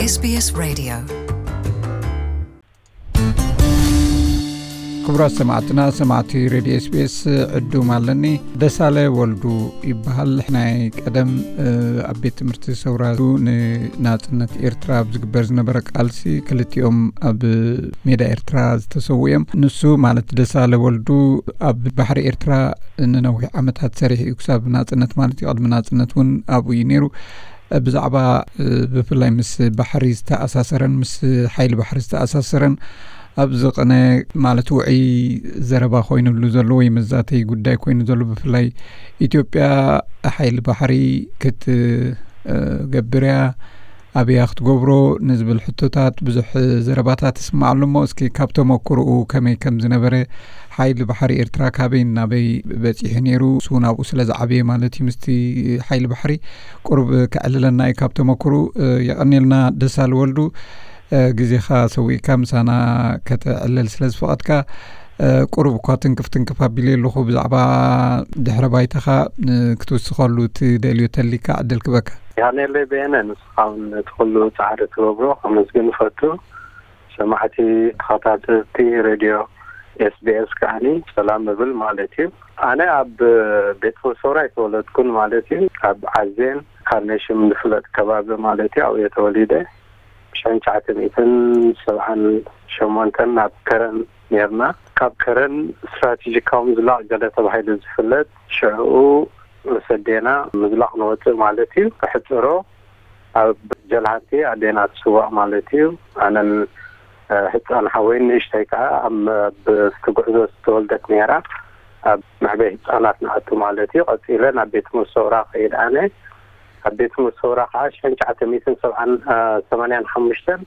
SBS Radio. ክቡራት ሰማዕትና፣ ሰማዕቲ ሬድዮ ኤስቢኤስ፣ ዕዱም ኣለኒ። ደሳለ ወልዱ ይበሃል። ናይ ቀደም፣ እ፣ ኣብ ቤት ትምህርቲ ሰውራ ንናጽነት ኤርትራ ኣብ ዝግበር ዝነበረ ቃልሲ ክልቲኦም ኣብ ሜዳ ኤርትራ ዝተሰዉ እዮም። ንሱ ማለት ደሳለ ወልዱ ኣብ ባሕሪ ኤርትራ ንነዊሕ ዓመታት ሰሪሑ እዩ፣ ክሳብ ናጽነት ማለት እዩ። ቅድሚ ናጽነት እውን ኣብኡ እዩ ነይሩ። ብዛዕባ፣ እ፣ ብፍላይ ምስ ባሕሪ ዝተኣሳሰረን ምስ ሓይሊ ባሕሪ ዝተኣሳሰረን ኣብዚ ቅነ ማለት ውዑይ ዘረባ ኮይኑሉ ዘሎ ወይ መዛተይ ጉዳይ ኮይኑ ዘሎ፣ ብፍላይ ኢትዮጵያ ሓይሊ ባሕሪ ክት-፣ እ፣ ገብር እያ፣ ኣበያ ክትገብሮ ንዝብል ሕቶታት ብዙሕ ዘረባታት ይስማዕ ኣሎ። እሞ እስኪ ካብ ተመክሮኡ ከመይ ከም ዝነበረ፣ ሓይሊ ባሕሪ ኤርትራ ካበይ ናበይ በጺሑ ነይሩ፣ እሱ እውን ኣብኡ ስለ ዝዓበየ ማለት እዩ፣ ምስቲ ሓይሊ ባሕሪ ቁሩብ ከዕልለና እዩ ካብ ተመክሮኡ። እ፣ የቐንየልና ደሳለ ወልዱ፣ እ፣ ግዜኻ ሰዊእካ ምሳና ከተዕልል ስለ ዝፈቐድካ። እ፣ ቁሩብ እኳ ትንክፍ ትንክፍ ኣቢለ ኣለኹ፣ ብዛዕባ ድሕረ ባይታኻ፣ እ፣ ክትውስኸሉ ትደልዮ ተሊካ ዕድል ክበካ። የቐንየለይ በየነ፣ ንስኻ እውን ነቲ ኩሉ ጻዕሪ ትገብሮ ከመስግን እፈቱ። ሰማዕቲ ተኸታተልቲ ሬድዮ ኤስቢኤስ ከዓኒ ሰላም እብል ማለት እዩ። ኣነ ኣብ ቤት ፍርሶራ ኣይተወለድኩን ማለት እዩ። ኣብ ዓዜን ካርኔሽን ዝፍለጥ ከባቢ ማለት እዩ፣ ኣብኡ እየ ተወሊደ። ሽሕን ትሽዓተ ሚእትን ሰብዓን ሸሞንተን ናብ ከረን ነርና። ካብ ከረን ስትራቴጂካዊ ምዝላቕ ገለ ተባሂሉ ዝፍለጥ ሽዕኡ ምስ ኣዴና ምዝላቕ ንወፅእ ማለት እዩ። ክሕፅሮ ኣብ ጀልሃንቲ ኣዴና ትስዋእ ማለት እዩ። ኣነን፣ እ፣ ህፃን ሓወይን ንእሽተይ ከዓ ኣብ፣ ኣብ እቲ ጉዕዞ ዝተወልደት ነይራ። ኣብ መዕበይ ህፃናት ንኣቱ ማለት እዩ። ቀፂለ ናብ ቤት ትምህርቲ ሰውራ ከይድ ኣነ። ኣብ ቤት ትምህርቲ ሰውራ ከዓ ሽሕን ትሽዓተ ሚእትን ሰብዓን፣ እ፣ ሰማንያን ሓሙሽተን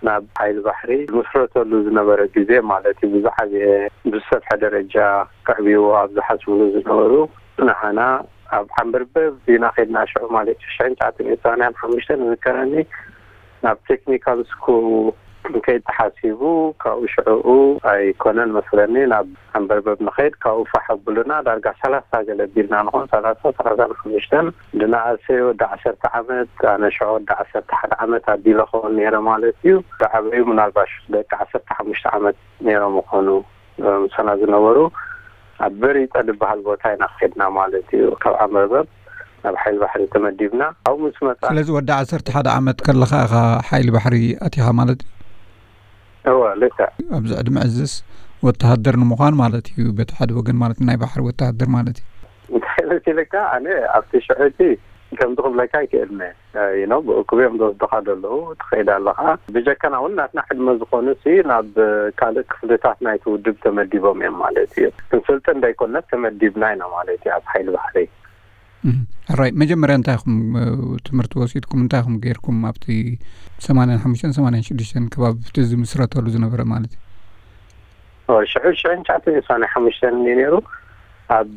ናብ ሓይሊ ባሕሪ ዝምስረተሉ ዝነበረ ግዜ ማለት እዩ። ብዝዓበየ ብዝሰፍሐ ደረጃ ከዕብይዎ ኣብ ዝሓስብሉ ዝነበሩ ንዓና ኣብ ዓንበርበብ ኢና ከድና ሽዑ ማለት እዩ። ሽሕን ትሽዓተ ሚእትን ሰማንያን ሓሙሽተን ዝዝከረኒ ናብ ቴክኒካል ስኩል ከይድ ተሓሲቡ፣ ካብኡ ሽዕኡ ኣይኮነን መስለኒ ናብ ዓንበርበብ ንኸይድ፣ ካብኡ ፋሕ ኣብሉና ዳርጋ ሰላሳ ገለ ቢልና ንኾን፣ ሰላሳ፣ ሰላሳን ሓሙሽተን፣ ድንኣሰ ወዲ ዓሰርተ ዓመት፣ ኣነ ሽዑ ወዲ ዓሰርተ ሓደ ዓመት ኣቢለ ኸውን ነይረ ማለት እዩ። ዝዓበዩ ምናልባሽ ደቂ ዓሰርተ ሓሙሽተ ዓመት ነይሮም ይኾኑ። ምሳና ዝነበሩ ኣብ በሪጠ ዝበሃል ቦታ ኢና ከድና ማለት እዩ። ካብ ዓንበርበብ ናብ ሓይሊ ባሕሪ ተመዲብና። ኣብኡ ምስ መጻ ስለዚ ወዲ ዓሰርተ ሓደ ዓመት ከለኻ ኢኻ ሓይሊ ባሕሪ ኣቲኻ ማለት እዩ? እወ፣ ልክዕ። ኣብዚ ዕድመ እዝስ ወተሃደር ንምዃን ማለት እዩ፣ በቲ ሓደ ወገን ማለት ናይ ባሕሪ ወተሃደር ማለት እዩ። እንታይ መሲልካ፣ ኣነ ኣብቲ ሽዑ እቲ ከምዚ ክብለካ ኣይክእልን እየ። እ፣ you know፣ ብእኩብ እዮም ዝወስዱኻ ዘለዉ፣ ትኸይድ ኣለኻ። ብጀካና እውን ናትና ዕድመ ዝኾኑ ሲ ናብ ካልእ ክፍልታት ናይቲ ውድብ ተመዲቦም እዮም ማለት እዩ። ክንስልጥን ዘይኮነት ተመዲብና ኢና ማለት እዩ ኣብ ሓይሊ ባሕሪ። እም፣ ሕራይ፣ መጀመርያ እንታይ ኢኹም፣ እ፣ ትምህርቲ ወሲድኩም፣ እንታይ ኢኹም ገይርኩም ኣብቲ ሰማንያን ሓሙሽተን ሰማንያን ሽዱሽተን ከባቢ እቲ ዝምስረተሉ ዝነበረ ማለት እዩ? ኦ፣ ሽዑ ሽሕን ትሽዓተ ሚእትን ሰማንያን ሓሙሽተን እዩ ነይሩ። ኣብ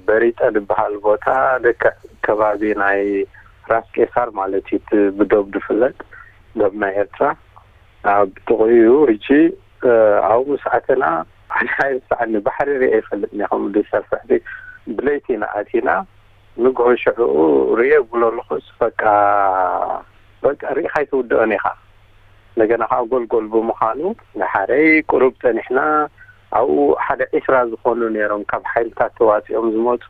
በሪጠ ዝበሃል ቦታ፣ ልክዕ ከባቢ ናይ ራስ ቄሳር ማለት እዩ፣ እቲ ብዶብ ዝፍለጥ ዶብ ናይ ኤርትራ። ኣብ ጥቕኡ እዩ። ሕጂ፣ እ፣ ኣብኡ ምስ ኣተና፣ ኣነ ኣይርሳዕኒ፣ ባሕሪ ርእየ ይፈልጥ እየ፣ ከምኡ ዝሰርሕ። ብለይቲ ኢና ኣቲና፣ ንግሆ ሽዕኡ ርእየ ብሎ ኣለኹስ፣ በቃ፣ በቃ ርኢኻ ኣይትውድኦን ኢኻ። እንደገና ከዓ ጎልጎል ብምዃኑ፣ ንሓረይ ቁሩብ ጸኒሕና፣ ኣብኡ ሓደ ዒስራ ዝኾኑ ነይሮም ካብ ሓይልታት ተዋጺኦም ዝመጹ።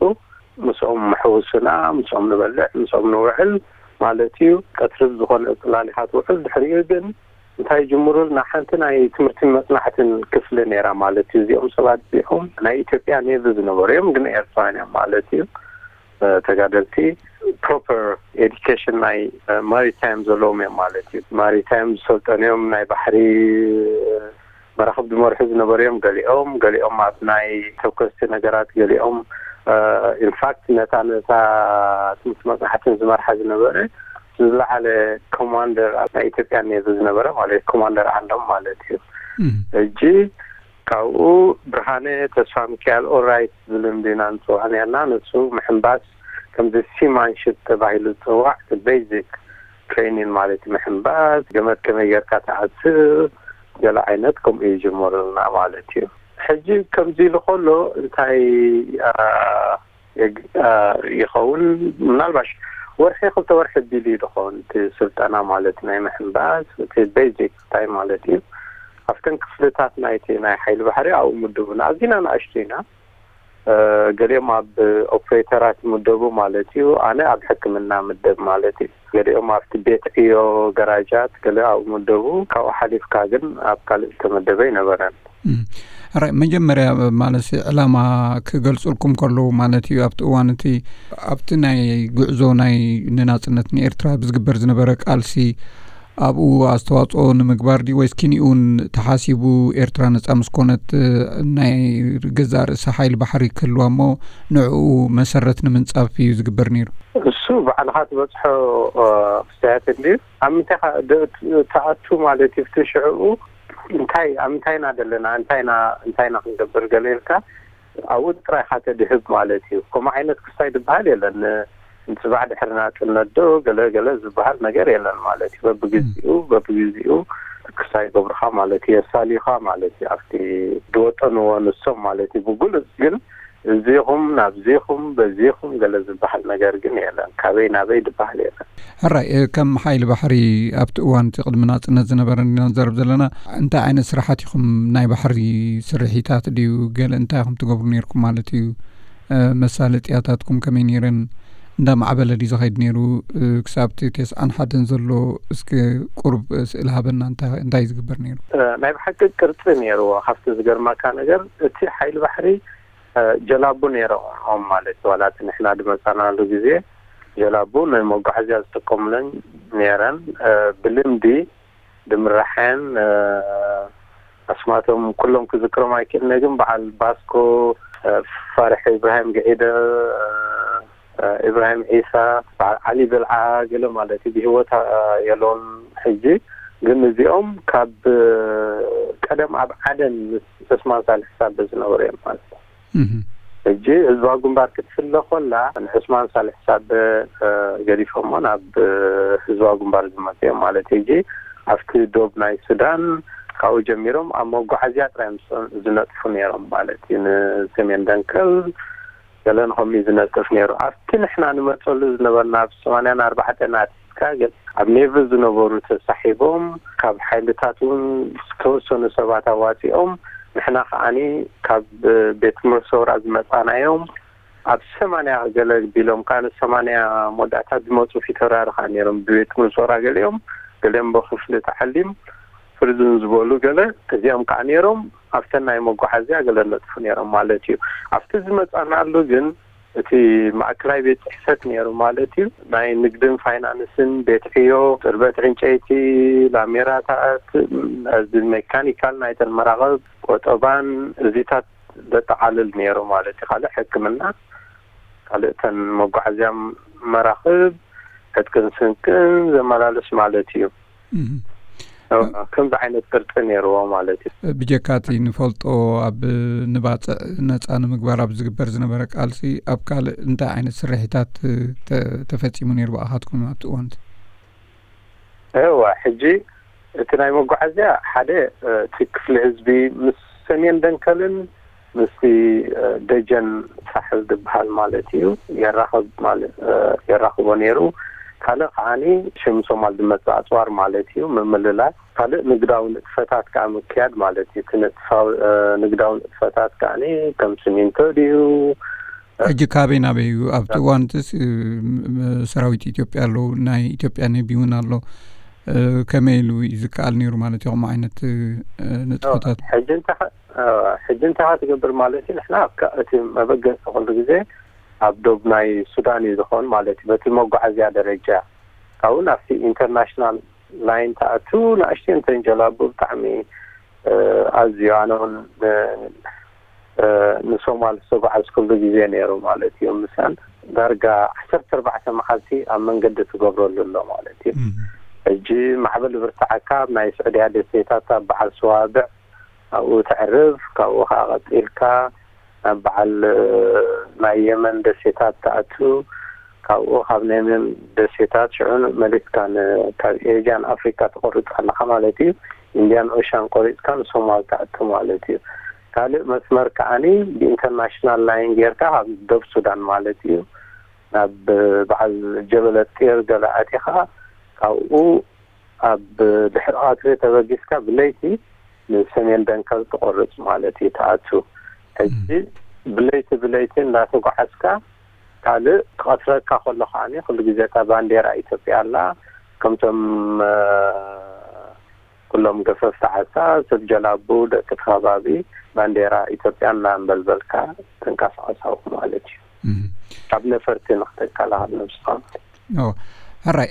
ምስኦም ምሕውስና፣ ምስኦም ንበልዕ፣ ምስኦም ንውዕል ማለት እዩ። ቀትሪ ዝኾነ ጽላል ኢኻ ትውዕል። ድሕሪኡ ግን እንታይ ይጅምሩልና? ሓንቲ ናይ ትምህርትን መጽናዕትን ክፍሊ ነይራ ማለት እዩ። እዚኦም ሰባት እዚኦም ናይ ኢትዮጵያ ኔቪ ዝነበሩ እዮም፣ ግን ኤርትራውያን እዮም ማለት እዩ። እ፣ ተጋደልቲ ፕሮፐር ኤዱኬሽን ናይ፣ እ፣ ማሪታይም ዘለዎም እዮም ማለት እዩ። ማሪታይም ዝሰልጠኑ እዮም፣ ናይ ባሕሪ፣ እ፣ መራኽብ ዝመርሑ ዝነበሩ እዮም ገሊኦም፣ ገሊኦም ኣብ ናይ ተኮስቲ ነገራት ገሊኦም፣ እ፣ ኢንፋክት ነታ፣ ነታ ትምህርቲ መጽናዕትን ዝመርሓ ዝነበረ ዝለዓለ ኮማንደር ኣብ ናይ ኢትዮጵያ ኔቪ ዝነበረ ማለት ኮማንደር ዓንዶም ማለት እዩ። እም። ሕጂ ካብኡ ብርሃነ ተስፋ ሚካኤል ኦራይት ዝብል እንዲና ንጽውዖ ነርና። ንሱ ምሕንባስ ከምዚ ሲማንሽፕ ተባሂሉ ዝጽዋዕ እቲ ቤዚክ ትሬኒን ማለት እዩ። ምሕንባስ፣ ገመድ ከመይ ጌርካ ትኣስር፣ ገለ ዓይነት ከምኡ ይጅምሩልና ማለት እዩ። ሕጂ ከምዚ ኢሉ ከሎ እንታይ፣ አ፣ የግ-፣ አ፣ ይኸውን? ምናልባሽ ወርሒ ክልተ ወርሒ ቢሉ እዩ ዝኾን እቲ ስልጠና ማለት ናይ ምሕንባስ እቲ ቤዚክ እንታይ ማለት እዩ። ኣብተን ክፍልታት ናይቲ ናይ ሓይሊ ባሕሪ ኣብኡ ምድቡና ኣዚና ንኣሽቱ ኢና። ገሊኦም ኣብ ኦፕሬተራት ምደቡ ማለት እዩ። ኣነ ኣብ ሕክምና ምደብ ማለት እዩ። ገሊኦም ኣብቲ ቤት ዕዮ ገራጃት ገለ ኣብኡ ምደቡ። ካብኡ ሓሊፍካ ግን ኣብ ካልእ ዝተመደበ ኣይነበረን። ራይ መጀመርያ ማለት ዕላማ ክገልጹልኩም ከለዉ ማለት እዩ ኣብቲ እዋን እቲ ኣብቲ ናይ ጉዕዞ ናይ ንናጽነት ንኤርትራ ብዝግበር ዝነበረ ቃልሲ ኣብኡ ኣስተዋጽኦ ንምግባር ድዩ ወይስ ኪኒኡን ተሓሲቡ ኤርትራ ነጻ ምስ ኮነት ናይ ገዛእ ርእሳ ሓይሊ ባሕሪ ክህልዋ እሞ ንዕኡ መሰረት ንምንጻፍ እዩ ዝግበር ነይሩ? እሱ ባዕልኻ ትበጽሖ ክስታያት እንድዩ ኣብ ምንታይ ትኣቱ ማለት እዩ። ፍቲ ሽዕኡ እንታይ ኣብ ምንታይ ኢና ዘለና እንታይ ኢና እንታይ ኢና ክንገብር ገለ ኢልካ ኣብኡ ጥራይ ኢኻ ተድህብ ማለት እዩ። ከምኡ ዓይነት ክስታይ ዝበሃል የለን። ንፅባሕ ድሕሪ ናፅነት ዶ ገለ ገለ ዝበሃል ነገር የለን ማለት እዩ። በብግዚኡ በብግዚኡ ክስታይ ይገብሩኻ ማለት እዩ። የሳልዩኻ ማለት እዩ። ኣብቲ ዝወጠንዎ ንሶም ማለት እዩ። ብጉሉፅ ግን እዚኹም ናብዚኹም በዚኹም ገለ ዝበሃል ነገር ግን የለን። ካበይ ናበይ ዝበሃል የለን። ሕራይ ከም ሓይሊ ባሕሪ ኣብቲ እዋን እቲ ቅድሚ ናፅነት ዝነበረ ኢና ንዘረብ ዘለና እንታይ ዓይነት ስራሓት ኢኹም ናይ ባሕሪ ስርሒታት ድዩ ገለ እንታይ ኢኹም ትገብሩ ነርኩም ማለት እዩ? መሳለጥያታትኩም ከመይ ነይረን? እንዳ ማዕበለ ድዩ ዝኸይድ ነይሩ? ክሳብ እቲ ተስዓን ሓደን ዘሎ እስኪ ቁሩብ ስእሊ ሃበና እንታይ እንታይ ዝግበር ነይሩ? ናይ ብሓቂ ቅርፂ ነይርዎ። ካብቲ ዝገርመካ ነገር እቲ ሓይሊ ባሕሪ ጀላቡ ነይሮም ማለት ዋላ እቲ ንሕና ድመፃናሉ ግዜ ጀላቡ ናይ መጓዓዝያ ዝጥቀሙለን ነይረን። ብልምዲ ድምራሐን ኣስማቶም ኩሎም ክዝክሮም ኣይክእልነ ግን በዓል ባስኮ፣ ፋርሒ ኢብራሂም ግዒደ፣ ኢብራሂም ዒሳ፣ በዓል ዓሊ ብልዓ ገለ ማለት እዩ። ብህይወት የለውን ሕጂ ግን እዚኦም ካብ ቀደም ኣብ ዓደን ምስ ዑስማን ሳልሕ ሳበ ዝነበሩ እዮም ማለት እዩ። ሕጂ ህዝባዊ ግንባር ክትፍለ ኮላ ንዑስማን ሳልሕ ሳበ ገዲፎሞ ናብ ህዝባዊ ግንባር ዝመፁ እዮም ማለት እዩ። ሕጂ ኣብቲ ዶብ ናይ ሱዳን ካብኡ ጀሚሮም ኣብ መጓዓዝያ ጥራይ ዝነጥፉ ነይሮም ማለት እዩ። ንሰሜን ደንከል ገለን ከምኡ ዝነጥፍ ነይሩ። ኣብቲ ንሕና ንመፀሉ ዝነበርና ኣብ ሰማንያን ኣርባዕተን ኣትሒዝካ ግን ኣብ ኔቭል ዝነበሩ ተሳሒቦም ካብ ሓይልታት እውን ዝተወሰኑ ሰባት ኣዋፂኦም ንሕና ከዓኒ ካብ ቤት ትምህርቲ ሰውራ ዝመፃናዮም ኣብ ሰማንያ ገለ ቢሎም ከዓ ንሰማንያ መወዳእታ ዝመፁ ፊተውራሪ ከዓ ነይሮም ብቤት ትምህርቲ ሰውራ ገሊኦም ገሊኦም ብክፍሊ ተዓሊም ፍርዝን ዝበሉ ገለ እዚኦም ከዓ ነይሮም ኣብተን ናይ መጓዓዝያ ገለ ነጥፉ ነይሮም ማለት እዩ። ኣብቲ ዝመፃናሉ ግን እቲ ማእከላይ ቤት ፅሕፈት ነይሩ ማለት እዩ። ናይ ንግድን ፋይናንስን ቤት ዕዮ፣ ፅርበት ዕንጨይቲ፣ ላሜራታት፣ እዚ ሜካኒካል ናይተን መራኸብ ቆጠባን እዚታት ዘጠቓልል ነይሩ ማለት እዩ። ካልእ ሕክምና ካልእተን መጓዓዝያ መራኽብ ዕጥቅን ስንቅን ዘመላልስ ማለት እዩ። ከምዚ ዓይነት ቅርፂ ነይርዎ ማለት እዩ። ብጀካ እቲ ንፈልጦ ኣብ ንባፅዕ ነፃ ንምግባር ኣብ ዝግበር ዝነበረ ቃልሲ ኣብ ካልእ እንታይ ዓይነት ስርሒታት ተፈፂሙ ነይሩ ብኣኻትኩም ኣብቲ እዋን? እዋ ሕጂ እቲ ናይ መጓዓዝያ ሓደ እቲ ክፍሊ ህዝቢ ምስ ሰሜን ደንከልን ምስቲ ደጀን ሳሕል ዝበሃል ማለት እዩ የራኽብ ማለት የራኽቦ ነይሩ። ካልእ ከዓኒ ሽም ሶማል ዝመፅእ ኣፅዋር ማለት እዩ ምምልላስ። ካልእ ንግዳዊ ንጥፈታት ከዓ ምክያድ ማለት እዩ። እቲ ንጥፋዊ ንግዳዊ ንጥፈታት ከዓኒ ከም ስሚንቶ ድዩ ሕጂ ካበይ ናበይ እዩ ኣብቲ እዋን ስ ሰራዊት ኢትዮጵያ ኣለዉ ናይ ኢትዮጵያ ኔቪ እውን ኣሎ ከመይ ኢሉ እዩ ዝከኣል ነይሩ ማለት እዩ ከምኡ ዓይነት ንጥፈታት ሕጂ እንተ ሕጂ እንታይ ትገብር ማለት እዩ ንሕና እቲ መበገሲ ኩሉ ግዜ ኣብ ዶብ ናይ ሱዳን እዩ ዝኸውን ማለት እዩ በቲ መጓዓዝያ ደረጃ ካብኡ ናብቲ ኢንተርናሽናል ላይን ተኣቱ ንኣሽተን ተንጀላቡ ብጣዕሚ ኣዝዩ ኣነ እውን ንሶማል ዝተጓዓዝኩሉ ግዜ ነይሩ ማለት እዩ። ምሳን ዳርጋ ዓሰርተ ኣርባዕተ መዓልቲ ኣብ መንገዲ ትገብረሉ ኣሎ ማለት እዩ። ሕጂ ማዕበል ብርትዓካ ኣብ ናይ ስዑድያ ደሴታት ኣብ በዓል ሰዋብዕ ኣብኡ ተዕርፍ፣ ካብኡ ከዓ ቀፂልካ ናብ በዓል ናይ የመን ደሴታት ትኣቱ፣ ካብኡ ካብ ናይ የመን ደሴታት ሽዑ መሊስካ ካብ ኤጃን ኣፍሪካ ትቆርፅ ኣለካ ማለት እዩ። ኢንድያን ኦሻን ቆሪፅካ ንሶማል ትኣቱ ማለት እዩ። ካልእ መስመር ከዓኒ ብኢንተርናሽናል ላይን ጌርካ ካብ ደብ ሱዳን ማለት እዩ ናብ በዓል ጀበለ ጢር ገለ ኣቲኻ፣ ካብኡ ኣብ ድሕሪ ቀትሪ ተበጊስካ ብለይቲ ንሰሜን ደንከል ትቆርጽ ማለት እዩ ትኣቱ። ሕጂ ብለይቲ ብለይቲ እንዳተጓዓዝካ፣ ካልእ ክቐትረካ ከሎ ከዓኒ ኩሉ ግዜ እታ ባንዴራ ኢትዮጵያ ኣላ። ከምቶም ኩሎም ገፈፍቲ ዓሳ፣ ሰብ ጀላቡ፣ ደቂ እቲ ከባቢ ባንዴራ ኢትዮጵያ እናንበልበልካ ትንቀሳቐሳው ማለት እዩ። ካብ ነፈርቲ ንክትከላኸል ነብስኻ ማለት እዩ። ሕራይ።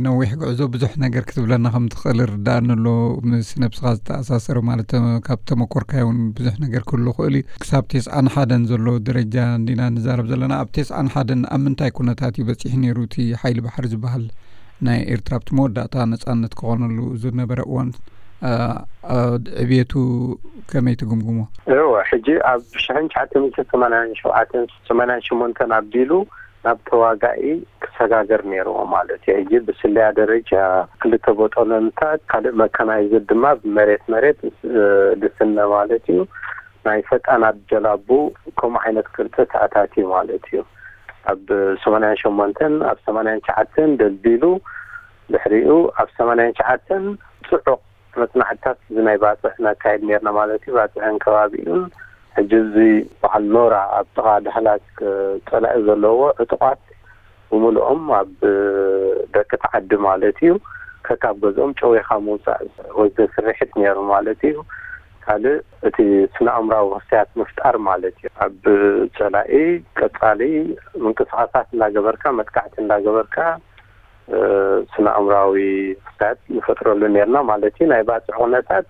ነዊሕ ጉዕዞ ብዙሕ ነገር ክትብለና ከም ትኽእል ርዳእኒ ኣሎ። ምስ ነብስኻ ዝተኣሳሰረ ማለት ካብ ተመኮርካዮ እውን ብዙሕ ነገር ክህሉ ክእል እዩ። ክሳብ ቴስዓን ሓደን ዘሎ ደረጃ እንዲና ንዛረብ ዘለና። ኣብ ቴስዓን ሓደን ኣብ ምንታይ ኩነታት እዩ በፂሑ ነይሩ እቲ ሓይሊ ባሕሪ ዝበሃል ናይ ኤርትራ ኣብቲ መወዳእታ ነጻነት ክኾነሉ ዝነበረ እዋን ዕብየቱ ከመይ ትግምግሞ? እወ፣ ሕጂ ኣብ ሽሕን ትሽዓተ ሚእትን ሰማንያን ሸውዓተን ሰማንያን ሸሞንተን ኣቢሉ ናብ ተዋጋኢ ክሰጋገር ነይርዎ ማለት እዩ። ሕጂ ብስለያ ደረጃ ክልተ ቦጦሎንታት፣ ካልእ መካናይዝድ ድማ ብመሬት መሬት ልስነ ማለት እዩ። ናይ ፈጣናት ጀላቡ ከምኡ ዓይነት ቅርፂ ተኣታትዩ ማለት እዩ። ኣብ ሰማንያን ሸሞንተን ኣብ ሰማንያን ትሽዓተን ደልዲሉ፣ ድሕሪኡ ኣብ ሰማንያን ትሽዓተን ፅዑቕ መፅናዕትታት እዚ ናይ ባፅዕ ነካይድ ነርና ማለት እዩ። ባፅዕን ከባቢኡን ሕጂ እዚ በዓል ኖራ ኣብ ጥቓ ዳህላክ ፀላኢ ዘለዎ ዕጡቓት ብምልኦም ኣብ ደቂ ተዓዲ ማለት እዩ ከካብ ገዝኦም ጨዊኻ ምውፃእ ወዘ ስርሕት ነይሩ ማለት እዩ። ካልእ እቲ ስነ ኣእምራዊ ክስያት ምፍጣር ማለት እዩ። ኣብ ፀላኢ ቀፃሊ ምንቅስቃሳት እንዳገበርካ መጥቃዕቲ እንዳገበርካ ስነ ኣእምራዊ ክስያት ንፈጥረሉ ነርና ማለት እዩ። ናይ ባፅዕ ኩነታት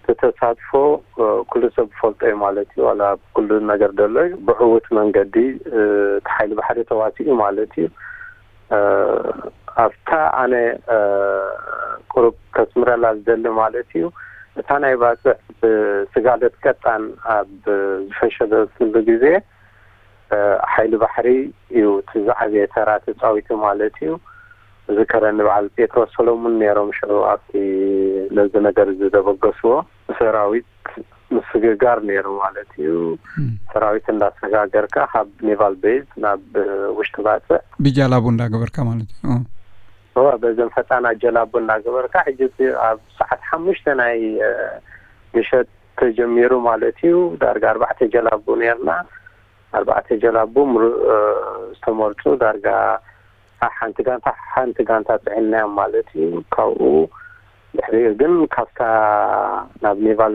ተተሳትፎ ኩሉ ሰብ ዝፈልጦ እዩ ማለት እዩ። ዋላ ኩሉ ነገር ደሎ እዩ ብዕውት መንገዲ እቲ ሓይሊ ባሕሪ ተዋሲኡ ማለት እዩ። ኣብታ ኣነ ቁሩብ ከስምረላ ዝደሊ ማለት እዩ፣ እታ ናይ ባፅዕ ብስጋለት ቀጣን ኣብ ዝፈሸለትሉ ግዜ ሓይሊ ባሕሪ እዩ እቲ ዝዓበየ ተራ ተፃዊቱ ማለት እዩ። ዝከረኒ በዓል ጴጥሮስ ሰሎሙን ነይሮም ሽዑ ኣብቲ ነዚ ነገር እዚ ዘበገስዎ። ሰራዊት ምስግጋር ነይሩ ማለት እዩ። ሰራዊት እንዳሰጋገርካ ካብ ኔቫል ቤዝ ናብ ውሽጢ ባፅዕ ብጃላቡ እንዳገበርካ ማለት እዩ። እወ፣ በዘን ፈጣና ጀላቡ እንዳገበርካ። ሕጂ ኣብ ሰዓት ሓሙሽተ ናይ ምሸት ተጀሚሩ ማለት እዩ። ዳርጋ ኣርባዕተ ጀላቡ ነርና። ኣርባዕተ ጀላቡ ዝተመርፁ ዳርጋ ሓንቲ ጋንታ ሓንቲ ጋንታ ፅዕናዮም ማለት እዩ። ካብኡ ድሕሪኡ ግን ካብታ ናብ ኔቫል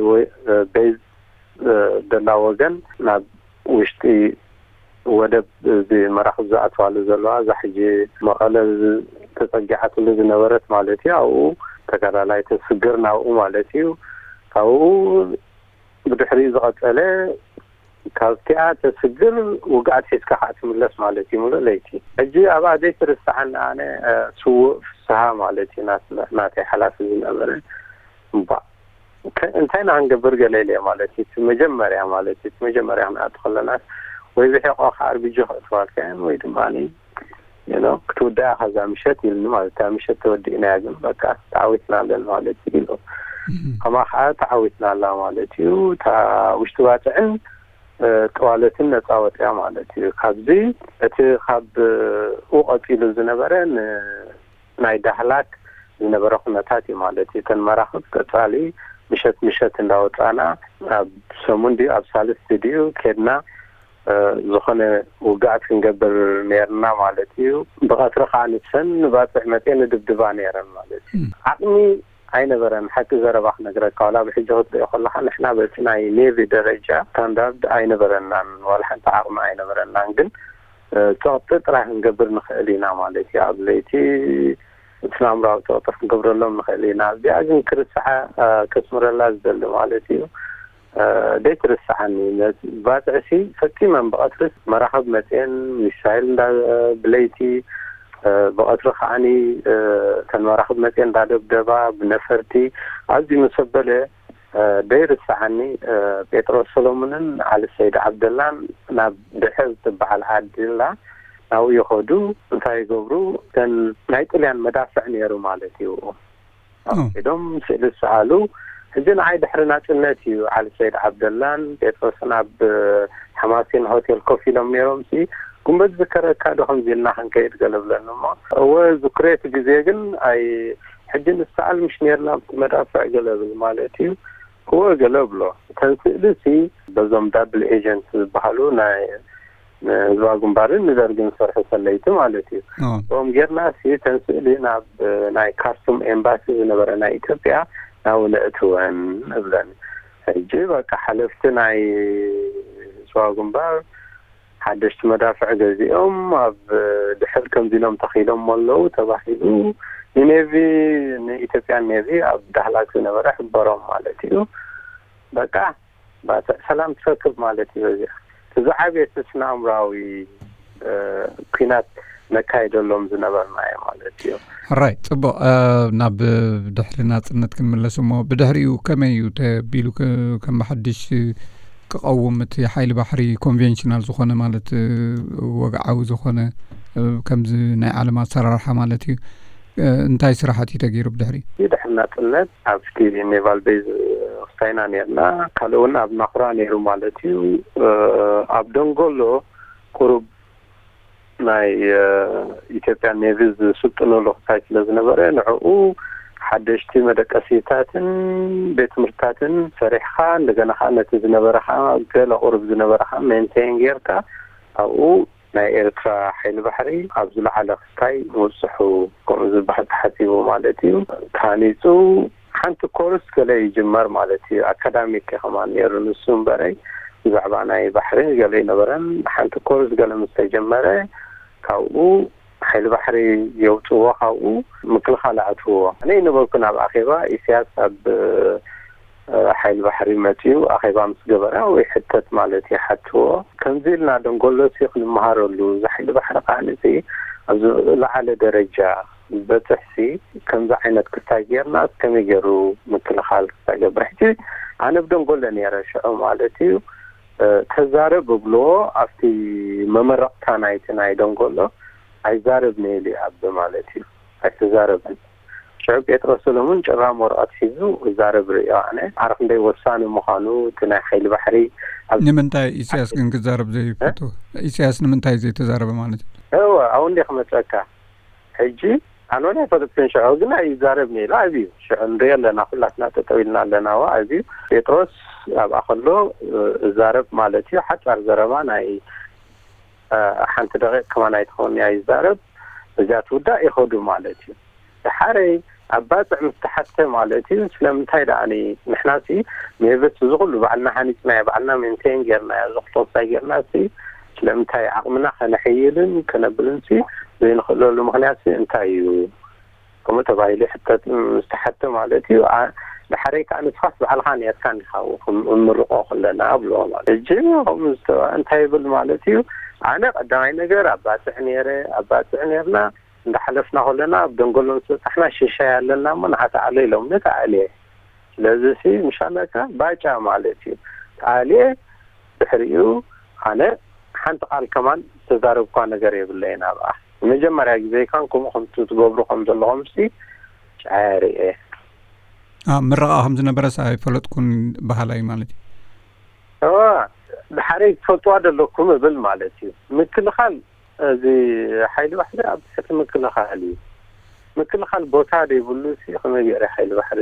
ቤዝ ደላ ወገን ናብ ውሽጢ ወደብ እዚ መራኽብ ዝኣትዋሉ ዘለዋ እዛ ሕጂ መቐለ ተፀጊዓትሉ ዝነበረት ማለት እዩ። ኣብኡ ተጋዳላይ ተስግር ናብኡ ማለት እዩ። ካብኡ ብድሕሪኡ ዝቐፀለ ካብቲኣ ተስግር ውግኣት ሒዝካ ከዓ ትምለስ ማለት እዩ። ሙሉእ ለይቲ ሕጂ ኣብኣ ዘይትርስዓኒ ኣነ ስዉእ ፍስሃ ማለት እዩ ናትይ ሓላፊ ዝነበረ። እባ እንታይ ኢና ክንገብር ገለ ኢለ ማለት እዩ። እቲ መጀመርያ ማለት እዩ፣ እቲ መጀመርያ ክንኣቱ ከለናስ ወይ ብሒቆ ከኣርቢጂ ክእትዋልካያን ወይ ድማ ክትውዳያ ከዛ ምሸት ኢልኒ ማለት እታ ምሸት ተወዲእናያ ግን በቃ ተዓዊትና ኣለን ማለት እዩ ኢሉ። ከማ ከዓ ተዓዊትና ኣላ ማለት እዩ። እታ ውሽጢ ባፅዕን ጠዋለትን ነፃ ወፅያ ማለት እዩ። ካብዚ እቲ ካብ ኡ ቀፂሉ ዝነበረ ናይ ዳህላክ ዝነበረ ኩነታት እዩ ማለት እዩ። እተን መራኽብ ቀፃሊ ምሸት ምሸት እንዳወፃና ኣብ ሰሙን ድዩ ኣብ ሳልስቲ ድዩ ኬድና ዝኾነ ውግኣት ክንገብር ነርና ማለት እዩ። ብቐትሪ ከዓ ንሰን ንባፅዕ መፅኤ ንድብድባ ነረን ማለት እዩ። ዓቕሚ ኣይነበረን። ሓቂ ዘረባ ክነግረካ ዋላ ብሕጂ ክትሪኦ ከለካ ንሕና በቲ ናይ ኔቪ ደረጃ ስታንዳርድ ኣይነበረናን ዋላ ሓንቲ ዓቕሚ ኣይነበረናን። ግን ፀቕጢ ጥራይ ክንገብር ንኽእል ኢና ማለት እዩ። ኣብ ለይቲ እቲ ናምራዊ ፀቕጢ ክንገብረሎም ንኽእል ኢና። እዚኣ ግን ክርስዓ ከስምረላ ዝደሊ ማለት እዩ። ደይ ትርስዓኒ ባፅዕሲ ፈፂመን ብቐትርስ መራኸብ መፅኤን ሚሳይል እንዳ ብለይቲ ብቐትሪ ከዓኒ እተን መራኽብ መፅኤን እንዳደብደባ ብነፈርቲ ኣብዚ ምስ ኣበለ ደይ ርስዓኒ ጴጥሮስ ሰሎሙንን ዓሊ ሰይድ ዓብደላን ናብ ድሕር ትበዓል ዓዲ ኣላ ናብኡ ይኸዱ። እንታይ ይገብሩ? እተን ናይ ጥልያን መዳፍዕ ነይሩ ማለት እዩ። ኣፍቂዶም ስእሊ ዝሰኣሉ። ሕጂ ንዓይ ድሕሪ ናፅነት እዩ ዓሊ ሰይድ ዓብደላን ጴጥሮስን ኣብ ሓማሴን ሆቴል ኮፍ ኢሎም ነይሮም ሲ ጉንበት ዝከረካ ዶ ከምዚ ኢልና ክንከይድ ገለ ብለኒ እሞ፣ እወ ዝክሬት ግዜ ግን ኣይ ሕጂ ንሰኣል ምሽ ነርና ብቲ መዳፍዕ ገለ ብል ማለት እዩ። እወ ገለ ብሎ። እተን ስእሊ ሲ በዞም ዳብል ኤጀንት ዝበሃሉ ናይ ንህዝባዊ ግንባርን ንደርግን ዝሰርሑ ሰለይቲ ማለት እዩ። ኦም ጌርና ሲ እተን ስእሊ ናብ ናይ ካርቱም ኤምባሲ ዝነበረ ናይ ኢትዮጵያ ናብኡ ነእትወን እብለን። ሕጂ በቃ ሓለፍቲ ናይ ህዝባዊ ግንባር ሓደሽቲ መዳፍዕ ገዚኦም ኣብ ድሕር ከምዚ ኢሎም ተኺሎም ኣለዉ ተባሂሉ ንኔቪ ንኢትዮጵያን ኔቪ ኣብ ዳህላክ ዝነበረ ሕበሮም ማለት እዩ። በቃ ባጽዕ ሰላም ትረክብ ማለት እዩ። በዚኣ እቲ ዝዓበየ እቲ ስነ ኣእምራዊ ኩናት ነካይደሎም ዝነበርናዮ ማለት እዩ። ሕራይ ጽቡቕ። ናብ ድሕሪ ናጽነት ክንምለስ እሞ ብድሕሪኡ ከመይ እዩ ተቢሉ ከም ብሓድሽ ክቐውም እቲ ሓይሊ ባሕሪ ኮንቬንሽናል ዝኾነ ማለት ወግዓዊ ዝኾነ ከምዚ ናይ ዓለም ኣሰራርሓ ማለት እዩ። እንታይ ስራሓት እዩ ተገይሩ ብድሕሪ? ድሕሪ ናጽነት ኣብቲ ኔቫል ቤዝ ክስታይና ነርና። ካልእ እውን ኣብ ናኹራ ነይሩ ማለት እዩ። ኣብ ደንጎሎ ቁሩብ ናይ ኢትዮጵያ ኔቪ ዝስልጥነሉ ክስታይ ስለ ዝነበረ ንዕኡ ሓደሽቲ መደቀሲታትን ቤት ትምህርትታትን ሰሪሕኻ እንደገና ከዓ ነቲ ዝነበረ ከዓ ገለ ቁሩብ ዝነበረ ከዓ ሜንቴን ጌርካ ኣብኡ ናይ ኤርትራ ሓይሊ ባሕሪ ኣብ ዝለዓለ ክስታይ ምብፅሑ ከምኡ ዝበሃል ተሓሲቡ ማለት እዩ። ተሃኒፁ ሓንቲ ኮርስ ገለ ይጅመር ማለት እዩ። ኣካዳሚክ ከማን ነይሩ ንሱ እምበረይ ብዛዕባ ናይ ባሕሪ ገለ ይነበረን ሓንቲ ኮርስ ገለ ምስ ተጀመረ ካብኡ ሓይሊ ባሕሪ የውፅዎ ካብኡ ምክልኻል ኣእትዎ። ኣነ ይነበርኩ ናብ ኣኼባ ኢሳያስ ኣብ ሓይሊ ባሕሪ መፅኡ ኣኼባ ምስ ገበረ ወይ ሕተት ማለት ይሓትዎ ከምዚ ኢልና ደንጎሎሲ ክንመሃረሉ እዚ ሓይሊ ባሕሪ ከዓንፂ ኣብዚ ለዓለ ደረጃ ዝበፅሕሲ ከምዚ ዓይነት ክስታይ ጌርና ከመይ ገይሩ ምክልኻል ክሳይ ገብር ሕጂ ኣነ ብደንጎሎ ነይረ ሽዑ ማለት እዩ። ተዛረብ እብልዎ ኣብቲ መመረቕታ ናይቲ ናይ ደንጎሎ ኣይዛረብ ነይሉ ኣብ ማለት እዩ። ኣይተዛረብን። ሽዑ ጴጥሮስ ሰሎሙን ጭራም ወረቐት ሒዙ ክዛረብ ርእዮ ኣነ። ኣረ ክንደይ ወሳኒ ምዃኑ እቲ ናይ ሓይሊ ባሕሪ ኣብ ንምንታይ ኢሳያስ ግን ክዛረብ ዘይፈቱ? ኢሳያስ ንምንታይ ዘይተዛረበ ማለት እዩ? እወ ኣብኡ እንደ ክመፀካ ሕጂ ኣነ እውን ኣይፈለጥኩን ሽዑ ግን ኣይዛረብ ነይሉ ኣብዩ ሽዑ ንሪኦ ኣለና ኩላትና ጠጠው ኢልና ኣለና ዋ ኣብዩ ጴጥሮስ ኣብኣ ከሎ እዛረብ ማለት እዩ ሓፃር ዘረባ ናይ ሓንቲ ደቂቕ ከማን ኣይትኸውን እያ ይዛረብ እዚኣ ትውዳእ ይኸዱ ማለት እዩ። ድሓረይ ኣብ ባፅዕ ምስ ተሓተ ማለት እዩ ስለምንታይ ደኣ ንሕናሲ ሜቨስ እዚ ኩሉ ባዕልና ሃኒፅናዮ ባዕልና ሜንቴን ጌርናዮ እዚ ክልተ ክሳይ ጌርናሲ ስለምንታይ ዓቕምና ከነሐይልን ከነብልን ሲ ዘይንኽእለሉ ምኽንያት ሲ እንታይ እዩ? ከምኡ ተባሂሉ ይሕተት ምስ ተሓተ ማለት እዩ። ድሓረይ ከዓ ንስኻስ ባዕልኻ ኔርካ እንዲኻ እምርቆ ከለና ኣብሎ ማለት ሕጂ ከምኡ ዝተባ እንታይ ይብል ማለት እዩ። ኣነ ቀዳማይ ነገር ኣብ ባፅዕ ነይረ ኣብ ባፅዕ ነርና እንዳሓለፍና ከለና ኣብ ደንጎሎ ምስ በፃሕና ሽሻይ ኣለና እሞ ንዓተዓሎ ኢሎምኒ ተዓልየ። ስለዚ ሲ ምሻለካ ባጫ ማለት እዩ። ተዓልየ ድሕሪኡ ኣነ ሓንቲ ቃል ከማን ዝተዛረብኳ ነገር የብለይን ኣብኣ። ንመጀመርያ ግዜ ይካን ከምኡ ከምቲ ትገብሩ ከም ዘለኹም ሲ ጫያ ርኤ። ምረቓ ከም ዝነበረስ ኣይፈለጥኩን በሃላ እዩ ማለት እዩ። እዋ ድሓረይ ትፈልጥዋ ዘለኩም እብል ማለት እዩ። ምክልኻል እዚ ሓይሊ ባሕሪ ኣብ ትሕቲ ምክልኻል እዩ። ምክልኻል ቦታ ዘይብሉ ሲ ከመይ ገይረ ሓይሊ ባሕሪ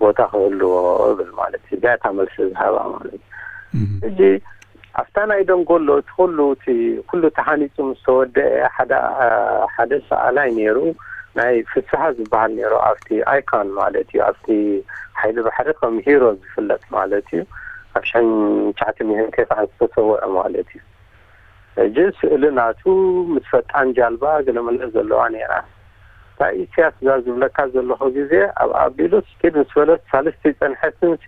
ቦታ ክህልዎ እብል ማለት እዩ። እዚኣ እታ መልሲ ዝሃባ ማለት እዩ። ሕጂ ኣብታ ናይ ደንጎሎ እቲ ኩሉ እቲ ኩሉ ተሃኒፁ ምስ ተወደአ ሓደ ሓደ ሰኣላይ ነይሩ ናይ ፍስሃ ዝበሃል ነይሩ ኣብቲ ኣይካን ማለት እዩ ኣብቲ ሓይሊ ባሕሪ ከም ሂሮ ዝፍለጥ ማለት እዩ ኣብ ሽሕን ትሽዓተ ሚእትን ተስዓን ዝተሰወዐ ማለት እዩ። ሕጂ ስእሊ ናቱ ምስ ፈጣን ጃልባ ገለመለ ዘለዋ ነይራ። እታ ኢሳያስ እዛ ዝብለካ ዘለኹ ግዜ ኣብ ኣቢሉ ስኪድ ምስ በለት ሳልስቲ ጸንሐትንሲ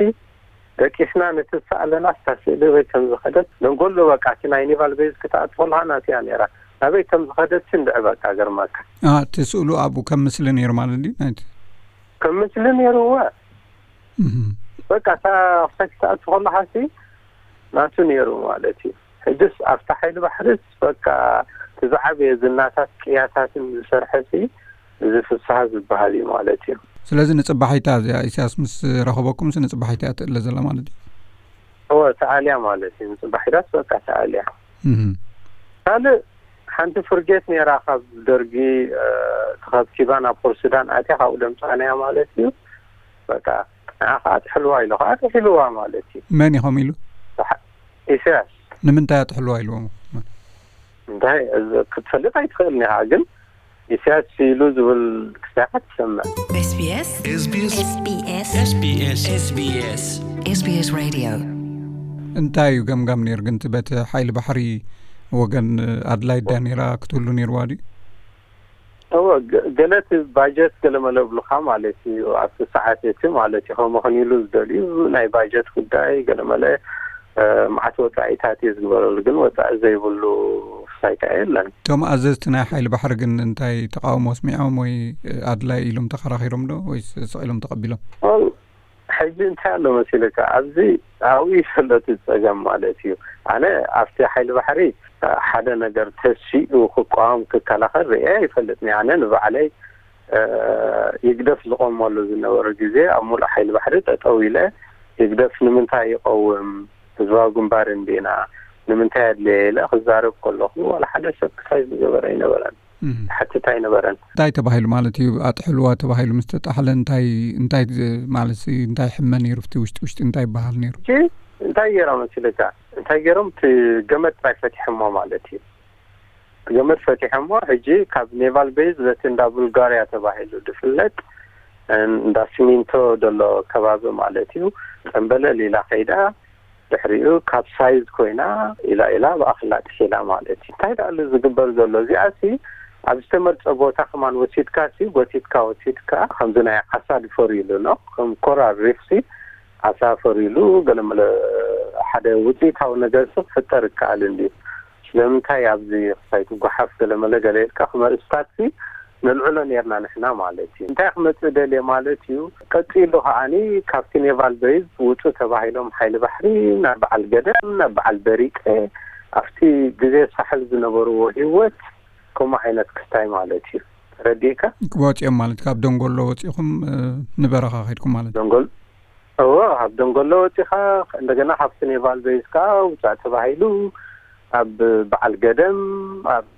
ደቂስና ነቲ ዝሰኣለና ስታ ስእሊ ወይ ከም ዝኸደት ደንጎሎ በቃ እቲ ናይ ኔቫል ቤዝ ክትኣት ከለኻ ናትያ ነይራ ናበይ ከም ዝኸደት ሲ እንድዒ በቃ ገርመካ። እቲ ስእሉ ኣብኡ ከም ምስሊ ነይሩ ማለት ድዩ ናይቲ ከም ምስሊ ነይሩ እወ በቃ እታ ክሳይ ክትኣቱ ከለኻ ሲ ናቱ ነይሩ ማለት እዩ። ሕጅስ ኣብቲ ሓይሊ ባሕርስ በቃ እቲ ዝዓበየ ዝናታት ቅያታትን ዝሰርሐ ሲ እዚ ፍስሃ ዝበሃል እዩ ማለት እዩ። ስለዚ ንፅባሒታ እዚኣ ኢሳያስ ምስ ረኸበኩም ሲ ንፅባሒታ እያ ትእለ ዘላ ማለት እዩ። እወ ተኣልያ ማለት እዩ። ንፅባሒታስ በቃ ተኣልያ። እህ። ካልእ ሓንቲ ፍርጌት ነይራ ካብ ደርጊ፣ እ፣ ተኸብኪባ ናብ ፖርት ሱዳን ኣትያ፣ ካብኡ ደምፃናያ ማለት እዩ። በቃ ንዓ ከዓ ጥሕልዋ ኢሉ ከዓ ጥሒልዋ ማለት እዩ። መን ኢኹም ኢሉ? ብሓ-፣ ኢሳያስ። ንምንታይ ኣጥሕልዋ ኢልዎም? እንታይ እዚ ክትፈልጥ ኣይትኽእልን ኢኻ፣ ግን ኢሳያስ ኢሉ ዝብል ክሳይ ትሰምዕ። SBS SBS SBS SBS SBS Radio። እንታይ እዩ ገምጋም ነይሩ ግን እቲ በቲ ሓይሊ ባሕሪ ወገን ኣድላይ ዳ ነይራ ክትህሉ ነይርዋ ድዩ? እወ፣ ገ-፣ ገለ እቲ ባጀት ገለመለ እብሉኻ ማለት እዩ። ኣብቲ ሰዓት እቲ ማለት እዩ፣ ከምኡ ኽን ኢሉ ዝደልዩ ናይ ባጀት ጉዳይ ገለመለ፣ እ፣ መዓት ወጻኢታት እዩ ዝግበረሉ፣ ግን ወጻኢ ዘይብሉ ክሳይ ከኣ የለን። እቶም ኣዘዝቲ ናይ ሓይሊ ባሕሪ ግን እንታይ ተቃውሞ ኣስሚዖም ወይ ኣድላይ ኢሎም ተኸራኺሮም ዶ ወይስ ስቕ ኢሎም ተቐቢሎም? ኦል፣ ሕጂ እንታይ ኣሎ መሲልካ፣ ኣብዚ ኣብኡ ይፈለጥ ጸገም ማለት እዩ። ኣነ ኣብቲ ሓይሊ ባሕሪ ሓደ ነገር ተሲኡ ክቃወም ክከላኸል ርእየ ኣይፈልጥን። ኣነ ንባዕለይ፣ እ፣ ይግደፍ ዝቆመሉ ዝነበረ ግዜ ኣብ ሙሉእ ሓይሊ ባሕሪ ጠጠው ኢለ፣ ይግደፍ ንምንታይ ይቀውም? ህዝባዊ ግንባር እንዲና፣ ንምንታይ ኣድለየ ኢለ ክዛረብ ከለኹ ዋላ ሓደ ሰብ ክሳይ ዝገበረ ኣይነበረን። እም። ሓትት ኣይነበረን። እንታይ ተባሂሉ ማለት እዩ? ኣጥሕልዋ ተባሂሉ ምስ ተጣሕለ እንታይ፣ እንታይ ዝ-፣ ማለት ሲ-፣ እንታይ ሕመ ነይሩ? ኣብቲ ውሽጢ ውሽጢ እንታይ ይበሃል ነይሩ? ሕጂ እንታይ ገይሮም መሲልካ? እንታይ ገይሮም? እቲ ገመድ ጥራይ ፈቲሖሞ ማለት እዩ። እቲ ገመድ ፈቲሖሞ፣ ሕጂ ካብ ኔቫል ቤዝ በቲ እንዳ ቡልጋርያ ተባሂሉ ዝፍለጥ እንዳ ሲሚንቶ ዘሎ ከባቢ ማለት እዩ፣ ጠምበለል ኢላ ከይዳ፣ ድሕሪኡ ካብ ሳይዝ ኮይና ኢላ ኢላ ብኣኽላ ጥሒላ ማለት እዩ። እንታይ ደኣ ኣሎ ዝግበር ዘሎ? እዚኣሲ ኣብ ዝተመርጸ ቦታ ከማን ወሲድካሲ፣ ጎቲትካ ወሲድካ፣ ከምዚ ናይ ዓሳ ድፈር ኢሉ ነው፣ ከም ኮራል ሪፍሲ ዓሳ ፈር ኢሉ፣ ገለመለ ሓደ ውጽኢታዊ ነገር ሲ ክፍጠር ይከኣል እንድዩ። ስለምንታይ ኣብዚ ክሳይ ትጓሓፍ ገለመለ ገለ ኢልካ ክመ-፣ ስታትሲ ነልዕሎ ኔርና ንሕና ማለት እዩ። እንታይ ክመጽእ ደልየ ማለት እዩ። ቀጺሉ ከኣኒ ካብቲ ኔቫል ቤዝ ውጹ ተባሂሎም ሓይሊ ባሕሪ ናብ በዓል ገደም፣ ናብ በዓል በሪጠ፣ ኣብቲ ግዜ ሳሕል ዝነበርዎ ህይወት ከምኡ ዓይነት ክስታይ ማለት እዩ። ተረዲእካ? ወጺኦም ማለት ካብ ደንጎሎ ወጺኹም፣ እ፣ ንበረኻ ከድኩም ማለት እዩ? ደንጎል-፣ እወ፣ ካብ ደንጎሎ ወጺኻ፣ እንደገና ካብቲ ኔቫል ቤዝ ከኣ ውጻእ ተባሂሉ፣ ኣብ በዓል ገደም፣ ኣብ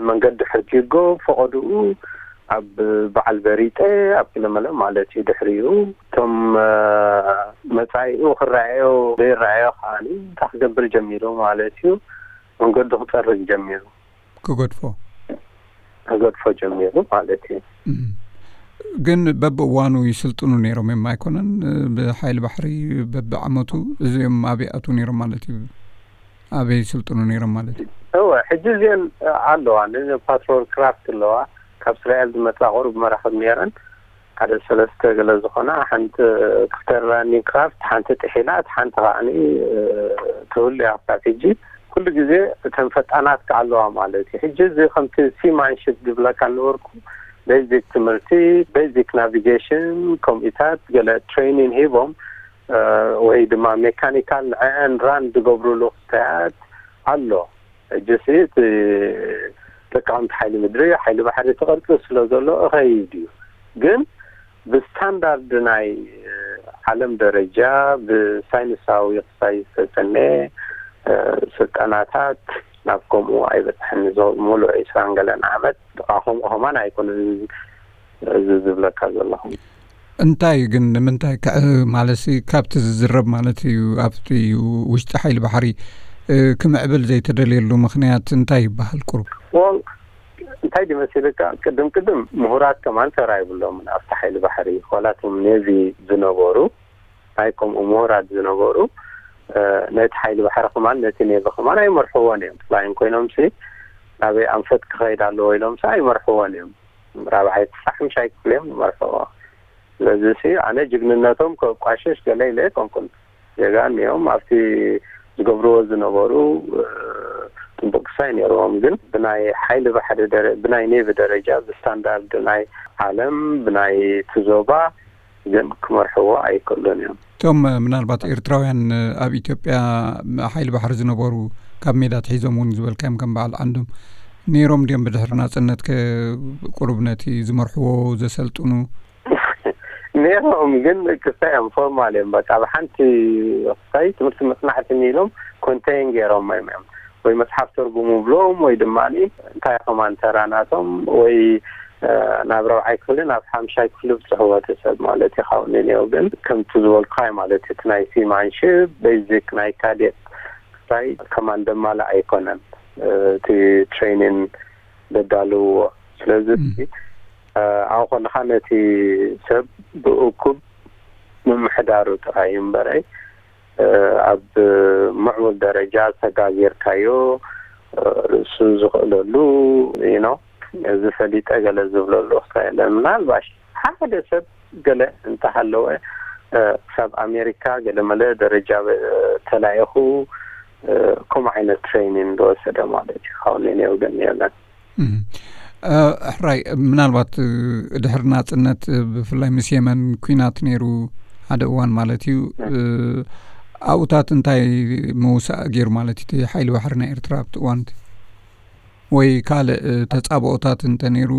መንገዲ ሕርጊጎ፣ ፈቐድኡ ኣብ በዓል በሪጠ፣ ኣብ ክለመለ ማለት እዩ። ድሕሪኡ እቶም፣ እ፣ መጻኢኡ ክረኣዮ ዘይረኣዮ ከኣኒ እንታይ ክገብር ጀሚሩ ማለት እዩ። መንገዱ ክጸርግ ጀሚሩ። ክገድፎ። ክገድፎ ጀሚሩ ማለት እዩ። እም። ግን በብእዋኑ ይስልጥኑ ነይሮም እዮም ኣይኮነን? ብሓይሊ ባሕሪ በብዓመቱ እዚኦም ኣበይ ኣትዉ ነይሮም ማለት እዩ? ኣበይ ይስልጥኑ ነይሮም ማለት እዩ? እወ፣ ሕጂ እዚአን ኣለዋ፣ ን-፣ ፓትሮል ክራፍት ኣለዋ። ካብ እስራኤል ዝመጻ ቁሩብ መራኽብ ነይረን። ሓደ ሰለስተ ገለ ዝኾና፣ ሓንቲ ክፍተር ላንዲንግ ክራፍት፣ ሓንቲ ጥሒላ፣ እቲ ሓንቲ ከኣኒ፣ እ፣ ትህሉ እያ ክሳብ ሕጂ። ኩሉ ግዜ እተን ፈጣናት ከኣ ኣለዋ ማለት እዩ። ሕጂ እዚ ከምቲ ሲማንሽፕ ዝብለካ ነበርኩ፣ ቤዚክ ትምህርቲ፣ ቤዚክ ናቪጌሽን፣ ከምኡታት ገለ ትሬኒን ሂቦም፣ እ፣ ወይ ድማ ሜካኒካል ንዕአን ራን ዝገብሩሉ ክስታያት ኣሎ። ሕጂ ሲ እቲ ተቃወምቲ ሓይሊ ምድሪ፣ ሓይሊ ባሕሪ እቲ ቅርጺ ስለ ዘሎ እኸይድ እዩ። ግን ብስታንዳርድ ናይ ዓለም ደረጃ ብሳይንሳዊ ክሳይ ዝተሰነየ፣ እ፣ ስልጠናታት ናብ ከምኡ ኣይበጽሕን። እዚ ሙሉእ ዒስራን ገለን ዓመት ጥቓ ከምኡ ከማን ኣይኮነን እዚ ዝብለካ ዘለኹ። እንታይ ግን ንምንታይ ክዕ-፣ ማለትሲ ካብቲ ዝዝረብ ማለት እዩ፣ ኣብቲ ውሽጢ ሓይሊ ባሕሪ፣ እ፣ ክምዕብል ዘይተደልየሉ ምኽንያት እንታይ ይበሃል ቁሩብ? ወል፣ እንታይ ድዩ መሲልካ፣ ቅድም ቅድም ምሁራት ከማን ተራ ይብሎምን ኣብቲ ሓይሊ ባሕሪ፣ ዋላ እቶም ኔቪ ዝነበሩ፣ ናይ ከምኡ ምሁራት ዝነበሩ፣ እ፣ ነቲ ሓይሊ ባሕሪ ከማን ነቲ ኔቪ ከማን ኣይመርሕዎን እዮም። ፍላይን ኮይኖምሲ ናበይ ኣንፈት ክኸይድ ኣለዎ ኢሎምሲ ኣይመርሕዎን እዮም። ራብዓይ ክሳዕ ሓምሻይ ክፍሊ እዮም ዝመርሕዎ። ስለዚ ሲ ኣነ ጅግንነቶም ከቋሽሽ ገለ ኢለ ኣይኮንኩን። ጀጋን እዮም፣ ኣብቲ ዝገብርዎ ዝነበሩ፣ እ፣ ጥቡቅ ክሳይ ነይርዎም። ግን ብናይ ሓይሊ ባሕሪ ደረ-፣ ብናይ ኔቪ ደረጃ፣ ብስታንዳርድ ናይ ዓለም፣ ብናይ እቲ ዞባ ግን ክመርሕዎ ኣይክእሉን እዮም። እቶም፣ እ፣ ምናልባት ኤርትራውያን፣ እ፣ ኣብ ኢትዮጵያ፣ ም-፣ ሓይሊ ባሕሪ ዝነበሩ ካብ ሜዳ ትሒዞም እውን ዝበልካዮም ከም በዓል ዓንዶም ነይሮም ድዮም ብድሕሪ ናጽነት ከ ቁሩብ ነቲ ዝመርሕዎ ዘሰልጥኑ? ነይሮም፣ ግን ክስታይ እዮም፣ ፎርማል እዮም። በቃ፣ ኣብ ሓንቲ ክስታይ ትምህርቲ መጽናዕቲ ኢሎም ኮንቴይን ገይሮም እዮም። ወይ መጽሓፍ ተርጉሙ ብሎም ወይ ድማ እንታይ ከማን ተራ ናቶም ወይ ናብ ራብዓይ ክፍሊ ናብ ሓምሻይ ክፍሊ ብጽሕዎ ሰብ ማለት እዩ። ካብኡ ንኔው ግን ከምቲ ዝበልካይ ማለት እዩ፣ እቲ ናይ ሲማንሽፕ ቤዚክ ናይ ካዴት ክሳይ ከማን ደማለ ኣይኮነን እቲ ትሬኒን ዘዳልዎ። ስለዚ ኣብኡ ከለኻ ነቲ ሰብ ብእኩብ ምምሕዳሩ ጥራይ እምበረይ ኣብ ምዕቡል ደረጃ ተጋጊርካዮ ርእሱ ዝኽእለሉ ኢኖ እዚ ፈሊጠ ገለ ዝብለሉ ክሳይ የለን። ምናልባሽ ሓደ ሰብ ገለ እንተሃለወ ክሳብ ኣሜሪካ ገለ መለ ደረጃ ተላኢኹ ከምኡ ዓይነት ትሬኒን ዝወሰደ ማለት እዩ። ካብኡ ንኔው ግን የለን። ሕራይ፣ ምናልባት ድሕሪ ናፅነት ብፍላይ ምስ የመን ኩናት ነይሩ ሓደ እዋን ማለት እዩ። ኣብኡታት እንታይ ምውሳእ ገይሩ ማለት እዩ? እቲ ሓይሊ ባሕሪ ናይ ኤርትራ ኣብቲ እዋን ወይ ካልእ ተፃብኦታት እንተነይሩ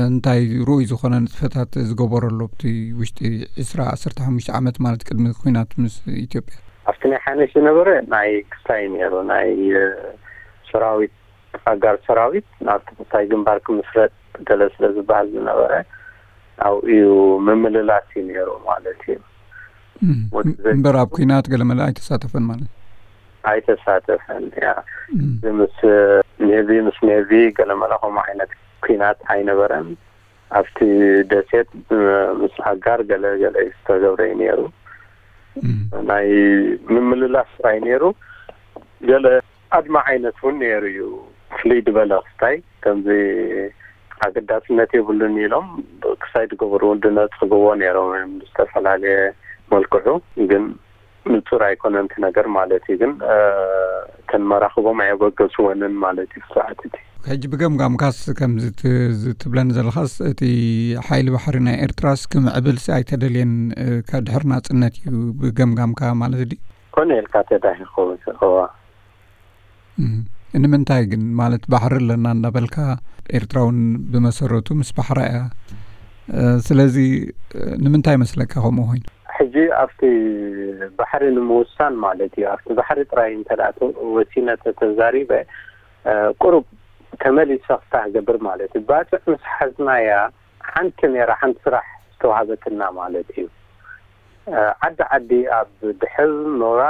እንታይ ርኡይ ዝኾነ ንጥፈታት ዝገበረሎ ኣብቲ ውሽጢ ዕስራ ዓሰርተ ሓሙሽተ ዓመት ማለት ቅድሚ ኩናት ምስ ኢትዮጵያ? ኣብቲ ናይ ሓነሽ ዝነበረ ናይ ክስታይ ነይሩ ናይ ሰራዊት ኣጋር ሰራዊት ናብቲ ክስታይ ግንባር ክምስረት ገለ ስለ ዝበሃል ዝነበረ ኣብኡ እዩ ምምልላስ እዩ ነይሩ ማለት እዩ። እምበር ኣብ ኩናት ገለመለ ኣይተሳተፈን ማለት? ኣይተሳተፈን። ያ ምስ ኔቪ ምስ ኔቪ ገለመለ ከምኡ ዓይነት ኩናት ኣይነበረን። ኣብቲ ደሴት ምስ ኣጋር ገለ ገለ ዝተገብረ እዩ ነይሩ። ናይ ምምልላስ ጥራይ ነይሩ። ገለ ኣድማ ዓይነት እውን ነይሩ እዩ። ፍልይ ዝበለ ክስታይ ከምዚ ኣገዳስነት የብሉን ኢሎም ክስታይ ዝገበሩ ድነፅግዎ ነይሮም እዮም ብዝተፈላለየ መልክዑ። ግን ንፁር ኣይኮነን እቲ ነገር ማለት እዩ። ግን እተን መራኽቦም ኣየበገስወንን ማለት እዩ ሰዓት እቲ። ሕጂ ብገምጋምካስ ከምዚ ትብለኒ ዘለኻስ እቲ ሓይሊ ባሕሪ ናይ ኤርትራስ ክምዕብልሲ ኣይተደልየን ድሕሪ ናፅነት እዩ ብገምጋምካ ማለት ድዩ? ኮነ ኢልካ ተዳሂ ክኸውን እዋ ንምንታይ ግን ማለት ባሕሪ ኣለና እናበልካ ኤርትራ እውን ብመሰረቱ ምስ ባሕራ እያ። ስለዚ ንምንታይ መስለካ ከምኡ ኮይኑ? ሕጂ ኣብቲ ባሕሪ ንምውሳን ማለት እዩ። ኣብቲ ባሕሪ ጥራይ እንተ ወሲነ ተተዛሪበ ቁሩብ ተመሊሰ ክስታ ክገብር ማለት እዩ። ባፅዕ ምስ ሓዝናያ ሓንቲ ነራ ሓንቲ ስራሕ ዝተዋሃበትና ማለት እዩ። ዓዲ ዓዲ ኣብ ድሕል ኖራ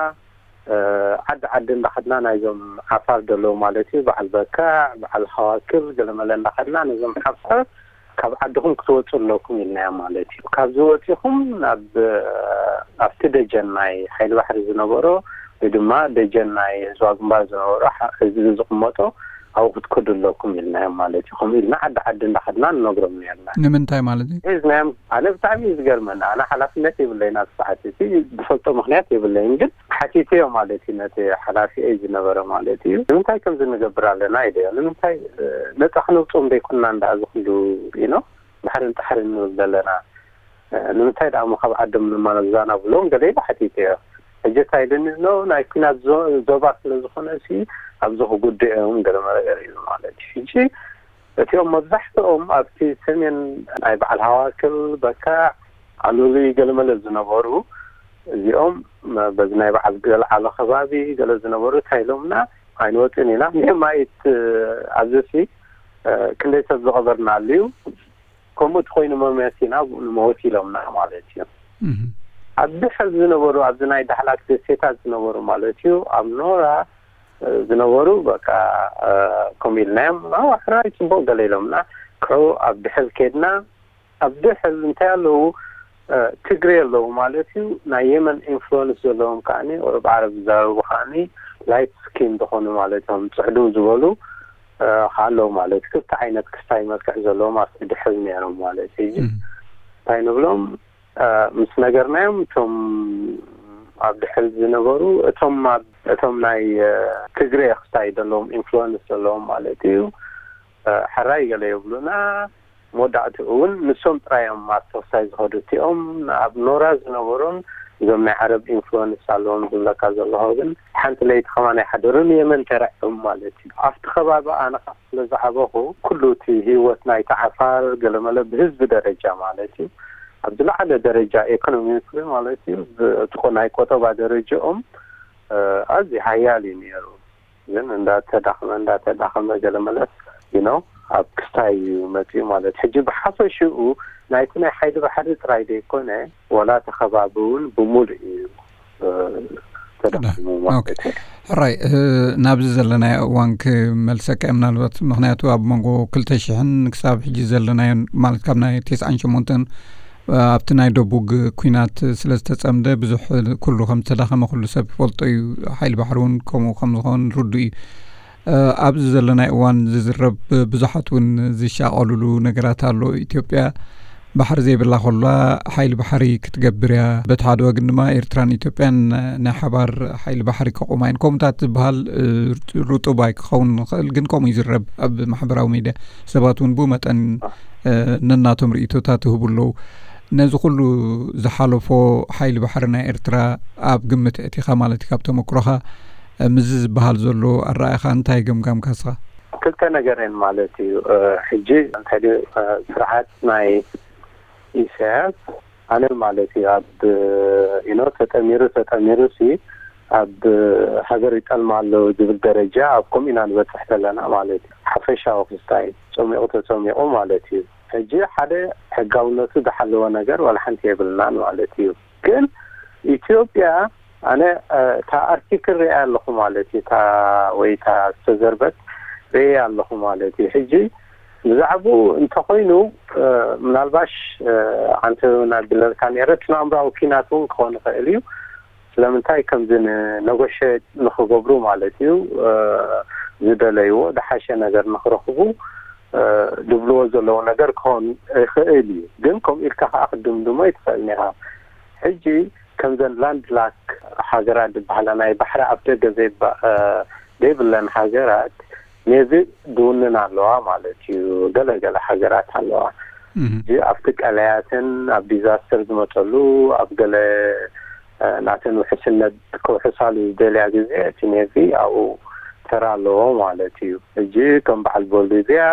ዓዲ ዓዲ እንዳኸድና ናይዞም ዓፋር ደለዉ ማለት እዩ። በዓል በካዕ በዓል ሃዋክል ገለመለ እንዳኸድና ነዞም ዓፋር ካብ ዓድኹም ክትወፁ ኣለኩም ኢልናዮም ማለት እዩ። ካብዚ ወፂኹም ናብ ኣብቲ ደጀን ናይ ሓይሊ ባሕሪ ዝነበሮ ወይ ድማ ደጀን ናይ ህዝባዊ ግንባር ዝነበሮ ህዝቢ ዝቕመጦ ኣብኡ ክትከዱ ኣለኩም ኢልናዮም ማለት እዩ። ከምኡ ኢልና ዓዲ ዓዲ እንዳኸድና ንነግሮም ነርና። ንምንታይ ማለት እዩ? ሒዝናዮም። ኣነ ብጣዕሚ እዩ ዝገርመኒ። ኣነ ሓላፍነት የብለይን ኣብ ሰዓት እቲ ዝፈልጦ ምክንያት የብለይን፣ ግን ሓቲተዮ ማለት እዩ ነቲ ሓላፊ ዝነበረ ማለት እዩ። ንምንታይ ከምዚ ንገብር ኣለና ኢለዮ። ንምንታይ ነፃ ክነውፅኦም ዘይኮንና እንዳ እዚ ኩሉ ኢኖ ባሕርን ጣሕርን ንብል ዘለና ንምንታይ ደኣ እሞ ካብ ዓዶም ንመዛና ብሎም ገለ ኢለ ሓቲተዮ። ሕጂ እንታይ ኢሉኒ ኣሎ፣ ናይ ኲናት ዞ- ዞባ ስለ ዝኾነ ሲ ኣብዚ ክጉድኡ እዮም ገለ መለ ገለ ኢሉ ማለት እዩ። ሕጂ እቲኦም መብዛሕትኦም ኣብቲ ሰሜን ናይ በዓል ሃዋክል በካ ኣሉሊ ገለመለ ዝነበሩ እዚኦም በዚ ናይ በዓል ገልዓሎ ከባቢ ገለ ዝነበሩ እንታይ ኢሎምና ኣይንወፅን ኢና። ኒማይት ኣብዚ ሲ ክንደይ ሰብ ዝቐበርና ኣልዩ ከምኡ እቲ ኮይኑ መመሲና ንመወት ኢሎምና ማለት እዩ። ኣብ ድሕር ዝነበሩ ኣብዚ ናይ ዳሕላክ ደሴታት ዝነበሩ ማለት እዩ ኣብ ኖራ ዝነበሩ በቃ ከምኡ ኢልናዮም ኣዋሕራይ ፅቡቅ ገለ ኢሎምና ክዑ ኣብ ድሕር ከድና ኣብ ድሕር እንታይ ኣለዉ ትግሬ ኣለዉ ማለት እዩ። ናይ የመን ኢንፍሉወንስ ዘለዎም ከዓኒ ኦሮብ ዓረብ ዝዛረቡ ከዓኒ ላይት ስኪን ዝኾኑ ማለት እዮም ፅዕድው ዝበሉ ከ ኣለዉ ማለት ክልተ ዓይነት ክስታይ መልክዕ ዘለዎም ኣብቲ ድሕር ነይሮም ማለት እዩ። እንታይ ንብሎም ምስ ነገርናዮም እቶም ኣብ ድሕር ዝነበሩ እቶም ኣብ እቶም ናይ ትግሬ ክስታይ ዘለዎም ኢንፍሉወንስ ዘለዎም ማለት እዩ ሕራይ ገለ የብሉና። መወዳእትኡ እውን ንሶም ጥራይ እዮም ኣብቲ ክስታይ ዝኸዱ እቲኦም ኣብ ኖራ ዝነበሩን እዞም ናይ ዓረብ ኢንፍሉወንስ ኣለዎም ዝብለካ ዘለኹ ግን ሓንቲ ለይቲ ከማን ኣይሓደሩን የመን ተረዕዮም ማለት እዩ። ኣብቲ ከባቢ ኣነ ከዓ ስለ ዝዓበኹ ኩሉ እቲ ህይወት ናይቲ ዓፋር ገለመለ ብህዝቢ ደረጃ ማለት እዩ ኣብ ዝለዓለ ደረጃ ኤኮኖሚክሊ ማለት እዩ እቲ ናይ ቆጠባ ደረጃኦም ኣዝዩ ሓያል እዩ ነይሩ። ግን እንዳተዳኸመ እንዳተዳኸመ ገለ መለስ you know ኣብ ክስታይ እዩ መፅኡ ማለት። ሕጂ ብሓፈሽኡ ናይቲ ናይ ሓይሊ ባሕሪ ጥራይ ዘይኮነ፣ ዋላ እቲ ከባቢ እውን ብምሉእ እዩ ተዳኺሙ ማለት እዩ። ሕራይ፣ ናብዚ ዘለናዮ እዋን ክመልሰካ እየ ምናልባት፣ ምክንያቱ ኣብ መንጎ ክልተ ሽሕን ክሳብ ሕጂ ዘለናዮ ማለት ካብ ናይ ተስዓን ሸሞንተን ኣብቲ ናይ ደቡግ ኩናት ስለ ዝተጸምደ ብዙሕ ኩሉ ከም ዝተዳኸመ ኩሉ ሰብ ይፈልጦ እዩ። ሓይሊ ባሕሪ እውን ከምኡ ከም ዝኾን ርዱእ እዩ። ኣብዚ ዘለናይ እዋን ዝዝረብ ብዙሓት እውን ዝሻቐሉሉ ነገራት ኣሎ። ኢትዮጵያ ባሕሪ ዘይብላ ከላ ሓይሊ ባሕሪ ክትገብር እያ። በቲ ሓደ ወገን ድማ ኤርትራን ኢትዮጵያን ናይ ሓባር ሓይሊ ባሕሪ ከቑማ እየን። ከምኡታት ዝበሃል ርጡብ ኣይክኸውን ይኽእል፣ ግን ከምኡ ይዝረብ ኣብ ማሕበራዊ ሚድያ። ሰባት እውን ብኡ መጠን ነናቶም ርእይቶታት ይህቡ ኣለዉ። ነዚ ኩሉ ዝሓለፎ ሓይሊ ባሕሪ ናይ ኤርትራ ኣብ ግምት እቲኻ ማለት እዩ፣ ካብ ተመክሮኻ ምስዚ ዝበሃል ዘሎ ኣረኣእኻ እንታይ ገምጋምካ እስኻ? ክልተ ነገር እየን ማለት እዩ። ሕጂ እንታይ ድዩ ስርዓት ናይ ኢሳያስ ኣነ ማለት እዩ ኣብ you know ተጠሚሩ ተጠሚሩ ሲ ኣብ ሃገር ይጠልማ ኣሎ ዝብል ደረጃ ኣብ ከምኡ ኢና ንበፅሕ ዘለና ማለት እዩ። ሓፈሻዊ ክስታይ ጸሚቑ ተጸሚቑ ማለት እዩ። ሕጂ ሓደ ሕጋውነቱ ዝሓለወ ነገር ዋላ ሓንቲ የብልናን ማለት እዩ። ግን ኢትዮጵያ ኣነ እታ ኣርቲክል ሪኣ ኣለኹ ማለት እዩ። እታ ወይ እታ ዝተዘርበት ሪአ ኣለኹ ማለት እዩ። ሕጂ ብዛዕባኡ እንተኾይኑ ምናልባሽ ዓንተ ናብለልካ ነረ እቲ ናምራዊ ኪናት እውን ክኾን ይኽእል እዩ። ስለምንታይ ከምዚ ንነጎሸ ንክገብሩ ማለት እዩ ዝደለይዎ ዝሓሸ ነገር ንክረኽቡ ዝብልዎ ዘለዉ ነገር ክኾን ይኽእል እዩ። ግን ከምኡ ኢልካ ከዓ ክድምድሞ ይትኽእል ኒኻ። ሕጂ ከምዘን ላንድ ላክ ሃገራት ዝበሃላ ናይ ባሕሪ ኣፍ ደገ ዘይብለን ሃገራት ነዚ ድውንን ኣለዋ ማለት እዩ። ገለገለ ሃገራት ኣለዋ። እዚ ኣብቲ ቀለያትን ኣብ ዲዛስተር ዝመፀሉ ኣብ ገለ ናተን ውሕስነት ክውሕሳሉ ዝደልያ ግዜ እቲ ኔቪ ኣብኡ ተራ ኣለዎ ማለት እዩ። ሕጂ ከም በዓል ቦሊቪያ፣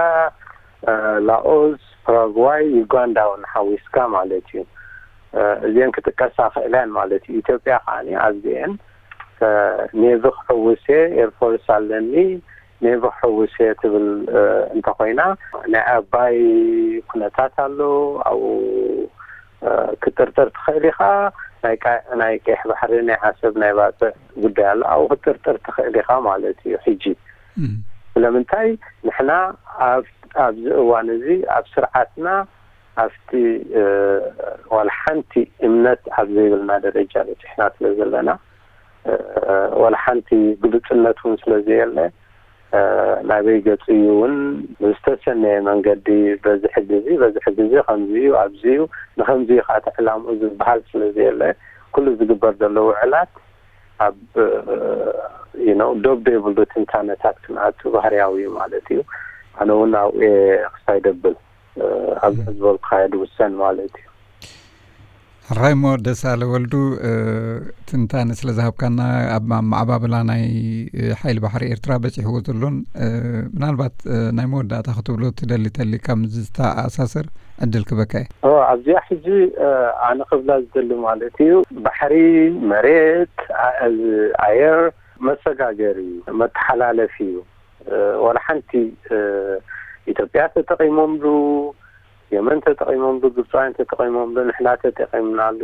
ላኦስ፣ ፓራጓይ፣ ዩጋንዳ እውን ሓዊስካ ማለት እዩ። እዚአን ክጥቀሳ ክእላያን ማለት እዩ። ኢትዮጵያ ከዓ ኣብዚአን ኔቪ ክሕውስ እየ፣ ኤርፎርስ ኣለኒ፣ ኔቪ ክሕውስ እየ ትብል እንተኮይና ናይ ኣባይ ኩነታት ኣሎ ኣብኡ ክጥርጥር ትኽእል ኢኻ። ናይ ቀይሕ ባሕሪ ናይ ዓሰብ ናይ ባፅዕ ጉዳይ ኣሎ ኣብኡ ክጥርጥር ትኽእል ኢኻ ማለት እዩ። ሕጂ ስለምንታይ ንሕና ኣብዚ እዋን እዚ ኣብ ስርዓትና ኣብቲ ዋላ ሓንቲ እምነት ኣብ ዘይብልና ደረጃ በፂሕና ስለ ዘለና ዋላ ሓንቲ ግሉፅነት እውን ስለ ዘየለ ናበይ ገፁ እዩ እውን ብዝተሰነየ መንገዲ በዚ ሕጊ እዚ በዚ ሕጊ እዚ ከምዚ እዩ ኣብዚ እዩ ንከምዚ እዩ ከዓ ዕላምኡ ዝበሃል ስለ ዘየለ ኩሉ ዝግበር ዘሎ ውዕላት ኣብ you know ዶብ ዘይብሉ ትንታነታት ክንኣቱ ባህርያዊ እዩ ማለት እዩ። ኣነ እውን ኣብኡ ክሳይ ደብል ኣብዚ ዝበልኩኻዮ ድውሰን ማለት እዩ። ራይሞ ደሳለ ወልዱ ትንታነ ስለ ዝሃብካና ኣብ ማዕባብላ ናይ ሓይሊ ባሕሪ ኤርትራ በፂሕዎ ዘሎን ምናልባት ናይ መወዳእታ ክትብሎ ትደሊ ተሊካ ምስ ዝተኣሳሰር ዕድል ክበካ እየ። ኣብዚኣ ሕጂ ኣነ ክብላ ዝደሊ ማለት እዩ ባሕሪ መሬት ኣየር መሰጋገሪ መተሓላለፊ እዩ። ዋላ ሓንቲ ኢትዮጵያ ተጠቒሞምሉ፣ የመን ተጠቒሞምሉ፣ ግብፃውያን ተጠቒሞምሉ፣ ንሕና ተጠቒምናሉ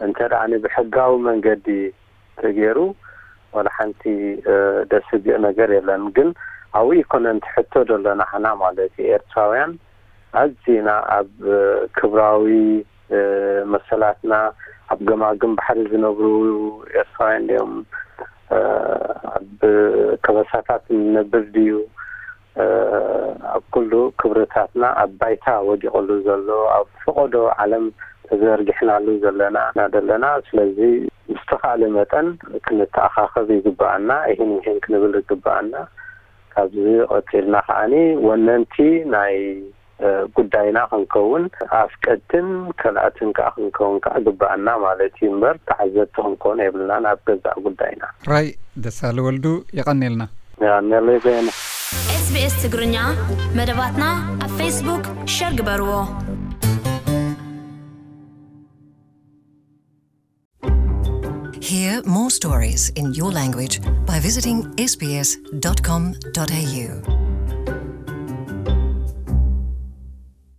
እንተ ደኣ ብሕጋዊ መንገዲ ተገይሩ ዋላ ሓንቲ ደስግእ ነገር የለን። ግን ኣብኡ ይኮነ ንትሕቶ ደሎ ንዓና ማለት እዩ ኤርትራውያን ኣዚና ኣብ ክብራዊ መሰላትና ኣብ ገማግም ባሕሪ ዝነብሩ ኤርትራውያን ድዮም ኣብ ከበሳታት ንነብር ድዩ ኣብ ኩሉ ክብርታትና ኣብ ባይታ ወዲቕሉ ዘሎ ኣብ ፈቐዶ ዓለም ተዘርጊሕናሉ ዘለና ኢና ዘለና ስለዚ ብዝተኻእለ መጠን ክንተኣኻኸብ ይግበኣና። ይህን ይህን ክንብል ይግበኣና። ካብዚ ቀፂልና ከዓኒ ወነንቲ ናይ ጉዳይና ክንከውን ኣፍቀድትን ከልኣትን ከዓ ክንከውን ከዓ ግበኣና ማለት እዩ እምበር ተዓዘብቲ ክንከውን የብልና ናብ ገዛእ ጉዳይና። ራይ ደሳለ ወልዱ የቐኔልና። ያነለይ በየነ። SBS ትግርኛ መደባትና ኣብ ፌስቡክ ሸር ግበርዎ። Hear more stories in your language by visiting sbs.com.au.